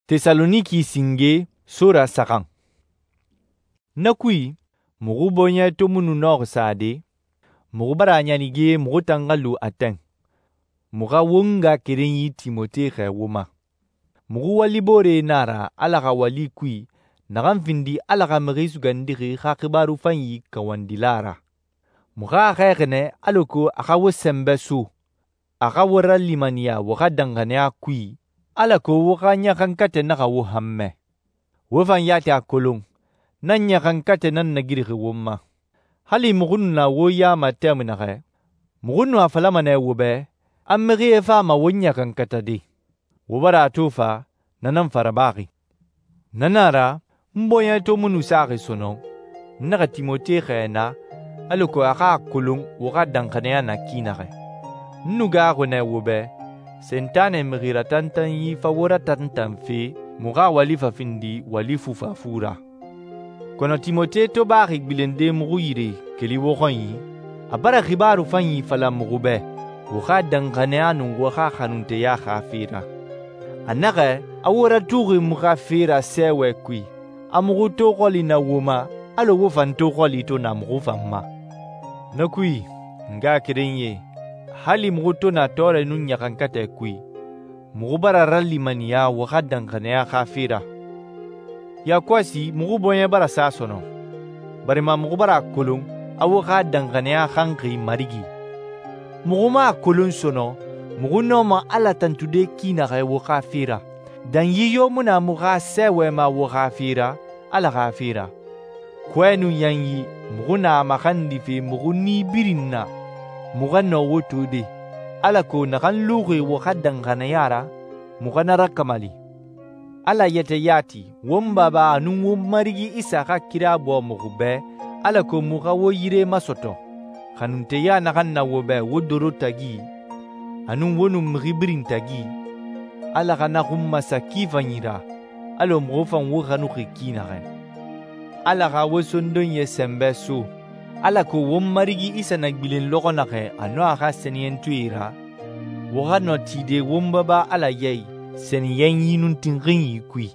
Tesaloniki singe sora saxan. Na kui, muxu bɔɲɛ to mu nu nɔxi sade, muxu bara a ɲanige muxu tan xa lu Atɛn. Muxu xa won ngaxakerenyi Timote xɛɛ wo ma. Muxu walibooree nan a ra Ala xa wali kui naxan findi Ala xa Mixi Sugandixi xa xibaaru fanyi kawandila ra. Muxu a xɛɛxi nɛ alako a xa wo sɛnbɛ so, a xa wo ralimaniya wo xa danxaniya kui, alako wo xa ɲaxankatɛ naxa wo hanmɛ. Wo fan yati a kolon, na ɲaxankatɛ nan nagirixi won ma. Hali muxu nu na wo ya ma tɛmui naxɛ, muxu nu a falama nɛ wo bɛ a mixie fama won ɲaxankatade. Wo bara a to fa, na nan fa rabaxi. Na nan a ra, n bɔɲɛ to mu nu saxi sɔnɔn, n naxa Timote xɛɛ na alako a xa a kolon wo xa danxaniya na ki naxɛ. N nu gaaxuxi nɛ wo bɛ, Sentanɛ mixi ratantanyi fa wo ratantanfe muxu xa wali fa findi wali fufafu ra. Kɔnɔ Timote to baxi gbilende muxu yire keli wo xɔnyi, a bara xibaaru fanyi fala muxu bɛ wo xa danxaniya nun wo xa xanunteya xa fe ra. A naxɛ a wo ratuxi muxu xa fe ra sɛɛwɛ kui, a muxu to xɔli na wo ma alɔ wo fan to xɔli to na muxu fan ma. Na kui, n ngaxakerenyie, hali muxu to na tɔɔrɛ nun ɲaxankatɛ kui, muxu bara ralimaniya wo xa danxaniya xa fe ra. Yakɔsi muxu bɔɲɛ bara sa sɔnɔn, barima muxu bara a kolon a wo xa danxaniya xanxi Marigi. Muxu mu a kolon sɔnɔn muxu nɔma Ala tantude ki naxɛ wo xa fe ra. Danyi yo mu na muxu xa sɛɛwɛ ma wo xa fe ra, Ala xa fe ra. Kɔɛ nun yanyi muxu na a maxandife muxu ni birin na, muxu xa nɔ wo tode, alako naxan luxi wo xa danxaniya ra, muxu xa na rakamali. Ala yɛtɛ yati won Baba a nun won Marigi Isa xa kira bɔ muxu bɛ alako muxu xa wo yire masɔtɔ. Xanunteya naxan na wo bɛ wo doro tagi, a nun wo nun mixi birin tagi, Ala xa na xun masa ki fanyi ra, alɔ muxu fan wo xanuxi ki naxɛ. Ala xa wo sondonyɛ sɛnbɛ so, alako won Marigi Isa na gbilen lɔxɔ naxɛ a nun a xa sɛniyɛntɔɛe ra, wo xa nɔ tide won Baba Ala ya i sɛniyɛnyi nun tinxinyi kui.